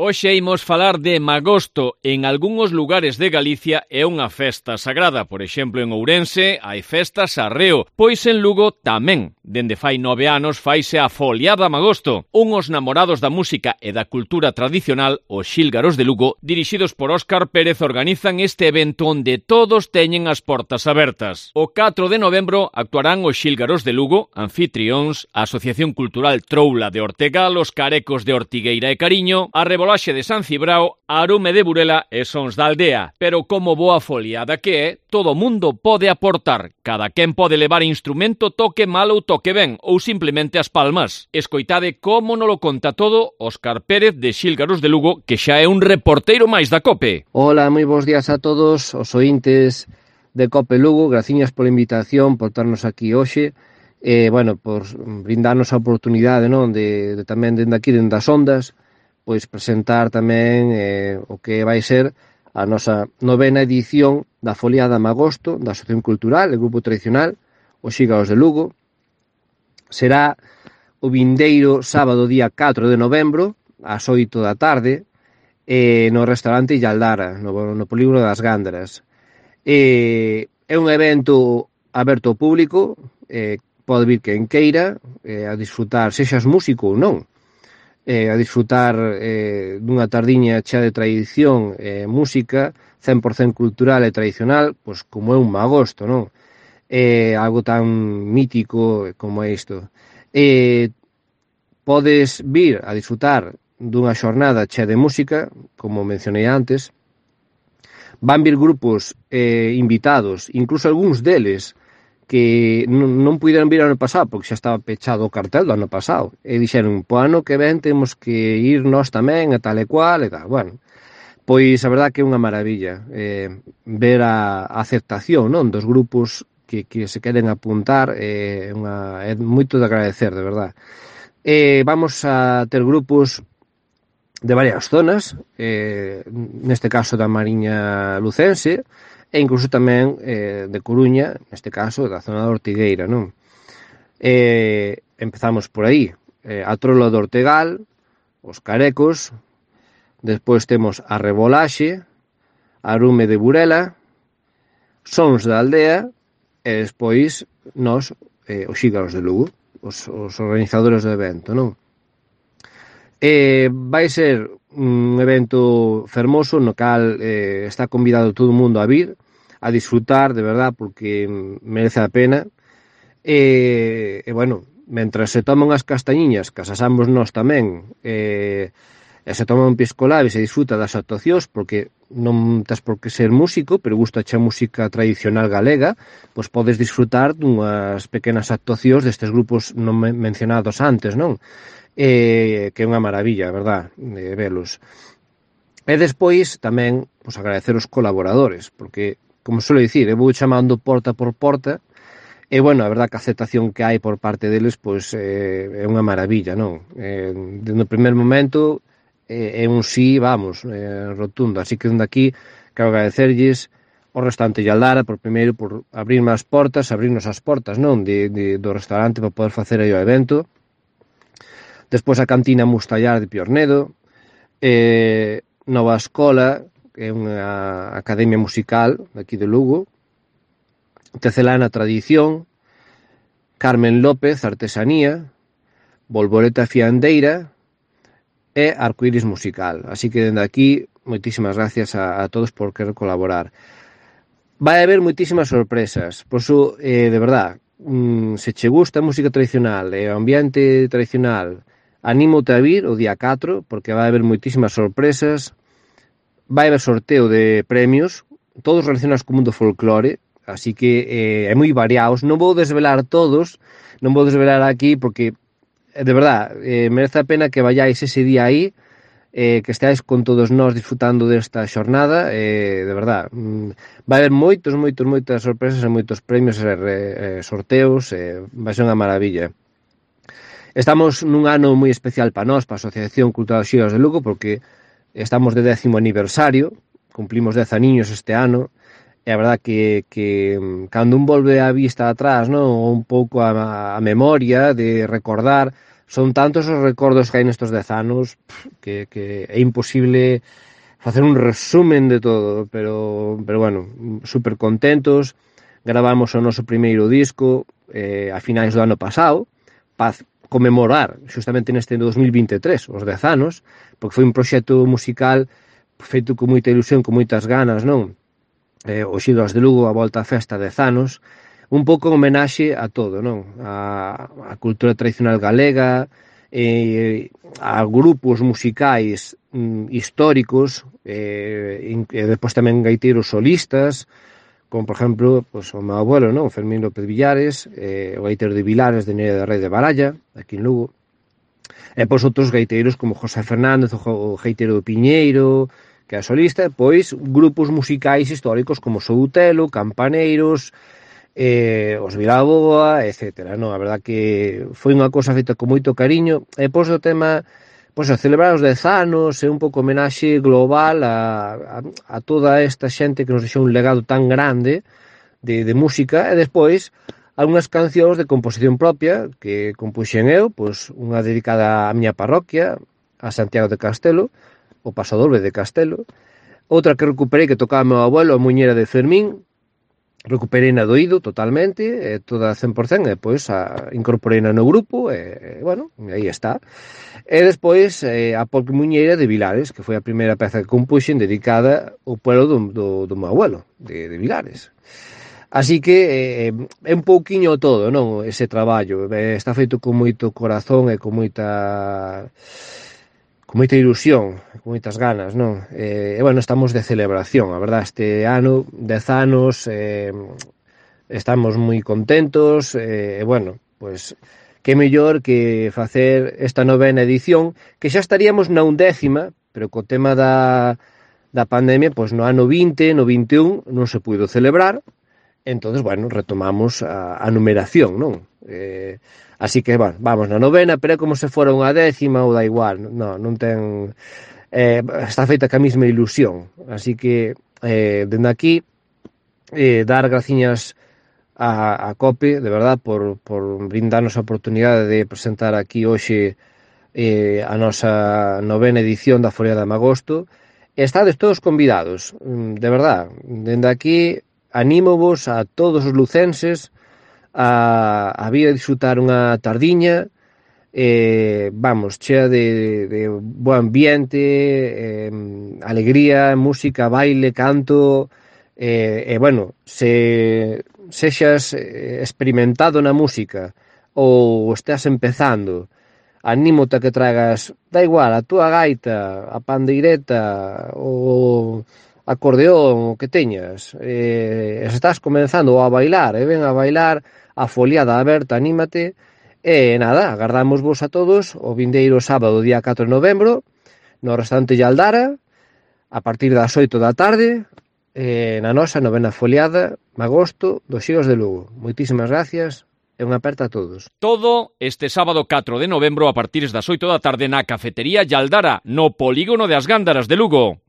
Hoxe imos falar de Magosto. En algúns lugares de Galicia é unha festa sagrada. Por exemplo, en Ourense hai festas arreo, pois en Lugo tamén. Dende fai 9 anos faise a Foliada Magosto. Unhos namorados da música e da cultura tradicional, os Xílgaros de Lugo, dirixidos por Óscar Pérez, organizan este evento onde todos teñen as portas abertas. O 4 de novembro actuarán os Xílgaros de Lugo, anfitrións, a Asociación Cultural Troula de Ortegal, os Carecos de Ortigueira e Cariño, a Rebolaxe de San Cibrao, a Arume de Burela e Sons da Aldea. Pero como boa foliada que é, todo mundo pode aportar. Cada quen pode levar instrumento, toque mal ou toque ben, ou simplemente as palmas. Escoitade como nolo conta todo Óscar Pérez de Xílgaros de Lugo, que xa é un reporteiro máis da COPE. Hola, moi bons días a todos os ointes de COPE Lugo. Graciñas pola invitación, por estarnos aquí hoxe. Por brindarnos a oportunidade, non, de tamén dende aquí, dende as ondas, pois presentar tamén o que vai ser a nosa 9ª edición da Foliada Magosto da Asociación Cultural, el grupo tradicional, os Xílgaros de Lugo. Será o vindeiro sábado día 4 de novembro, ás 8 da tarde, no restaurante Ilaldara, no polígono das Gándaras. É un evento aberto ao público, pode vir quen queira a disfrutar, sexas músico ou non, a disfrutar dunha tardiña chea de tradición e música 100% cultural e tradicional, pois como é un magosto, non? Algo tan mítico como é isto. Podes vir a disfrutar dunha xornada chea de música, como mencionei antes. Van vir grupos invitados, incluso algúns deles que non puderon vir ano pasado porque xa estaba pechado o cartel do ano pasado e dixeron, po ano que ven temos que ir nós tamén e tal e cual e tal. Bueno, pois a verdad que é unha maravilla ver a aceptación, non, dos grupos que se queren apuntar, é moito de agradecer, de verdad. Vamos a ter grupos de varias zonas, neste caso da Mariña Lucense, e incluso tamén de Coruña, neste caso da zona de Ortigueira, non? Empezamos por aí, a Troula de Ortegal, os Carecos, despois temos a Rebolaxe, a Arume de Burela, Sons da Aldea, e despois nós, os Xílgaros de Lugo, os organizadores do evento, non? Vai ser un evento fermoso no cal está convidado todo o mundo a vir, a disfrutar, de verdad, porque merece a pena. Mentras se toman as castañiñas, que as asamos nós tamén, e se toman un piscolabis e disfruta das actuacións, porque non tes por que ser músico, pero gusta a música tradicional galega, pois podes disfrutar dunhas pequenas actuacións destes grupos non mencionados antes, non? Que é unha maravilla, verdad, de velos. E despois tamén agradecer os colaboradores, porque, como suelo dicir, eu vou chamando porta por porta, e, bueno, a verdad que a aceptación que hai por parte deles, pois, é unha maravilla, non? No primer momento, é un sí, vamos, rotundo, así que dende aquí quero agradecerlles ao restaurante Ilaldara, por primeiro, por abrirnos as portas, non, do restaurante para poder facer aí o evento. Despois a cantina Mustallar de Piornedo, Nova Escola, que é unha academia musical aquí de Lugo, Tecelana Tradición, Carmen López Artesanía, Bolboreta Fiandeira e Arcoíris Musical. Así que dende aquí, moitísimas gracias a todos por querer colaborar. Vai haber moitísimas sorpresas, por iso, de verdad, se che gusta a música tradicional e o ambiente tradicional, anímote a vir o día 4, porque vai haber moitísimas sorpresas, vai haber sorteo de premios, todos relacionados co mundo folclore, así que é moi variados. Non vou desvelar todos, non vou desvelar aquí, porque, de verdad, merece a pena que vayáis ese día aí, que estáis con todos nós disfrutando desta xornada, de verdad. Vai haber moitas sorpresas e moitos premios e sorteos, vai ser unha maravilla. Estamos nun ano moi especial para nós, para a Asociación Cultural Xílgaros de Lugo, porque estamos de 10º aniversario, cumplimos 10 aniños este ano, e a verdad que cando un volve a vista atrás, non, un pouco a memoria de recordar, son tantos os recordos que hai nestes 10 anos que é imposible facer un resumen de todo, pero bueno, super contentos. Gravamos o noso primeiro disco a finais do ano pasado para conmemorar justamente neste 2023 os 10 anos, porque foi un proxecto musical feito con moita ilusión, con moitas ganas, non? Os Ídolos de Lugo, a volta á festa 10 anos, un pouco en homenaxe a todo, non? A cultura tradicional galega, a grupos musicais históricos, e depois tamén gaiteiros solistas, como por exemplo pues, o meu abuelo, non? Fermín López Villares, o gaiteiro de Vilares de Neira de Rei de Baralla, aquí en Lugo, e pois outros gaiteiros como José Fernández, o gaiteiro do Piñeiro, que é solista, pois grupos musicais históricos como Soutelo, Campaneiros, os Vilaboa, etc. Non, a verdad que foi unha cousa feita con moito cariño, e pois o tema, pois a celebrar os 10 anos, é un pouco homenaxe global a toda esta xente que nos deixou un legado tan grande de música, e despois algunhas cancións de composición propia que compuxen eu, pois unha dedicada á miña parroquia, a Santiago de Castelo, o Pasodoble de Castelo, outra que recuperei que tocaba meu abuelo, a Muñeira de Fermín, recuperei na doído totalmente, toda 100%, e pois incorporei no grupo, e bueno, aí está. E despois a Polque Muñeira de Vilares, que foi a primeira peza que compuxen dedicada ao pueblo do meu abuelo, de Vilares. Así que é un pouquiño todo, non? Ese traballo, está feito con moito corazón e con moita ilusión, con moitas ganas, non? E bueno, estamos de celebración, a verdad, este ano, 10 anos, estamos moi contentos, e bueno, pois, que mellor que facer esta 9ª edición, que xa estaríamos na 11ª, pero co tema da pandemia, pois no ano 20, no 21, non se puido celebrar, entonces, bueno, retomamos a numeración, non? Así que, bueno, vamos na 9ª, pero é como se fora unha 10ª ou da igual, non ten... está feita ca mesma ilusión, así que, dende aquí, dar graciñas a COPE, de verdad, por brindarnos a oportunidade de presentar aquí hoxe a nosa 9ª edición da Foliada de Magosto. Estades todos convidados, de verdad, dende aquí anímovos a todos os lucenses a vir a disfrutar unha tardiña, vamos, chea de bo ambiente, alegría, música, baile, canto, e bueno, se sexas experimentado na música ou estás empezando, anímote a que tragas, da igual, a túa gaita, a pandeireta, o acordeón, o que teñas, se estás comenzando a bailar, ven a bailar a Foliada aberta, anímate, e nada, agardamos vos a todos o vindeiro sábado, día 4 de novembro, no restaurante Yaldara, a partir das 8 da tarde, na nosa 9ª Foliada, Magosto, dos Ídolos de Lugo. Moitísimas gracias e unha aperta a todos. Todo este sábado 4 de novembro a partir das 8 da tarde na cafetería Yaldara, no polígono de As Gándaras de Lugo.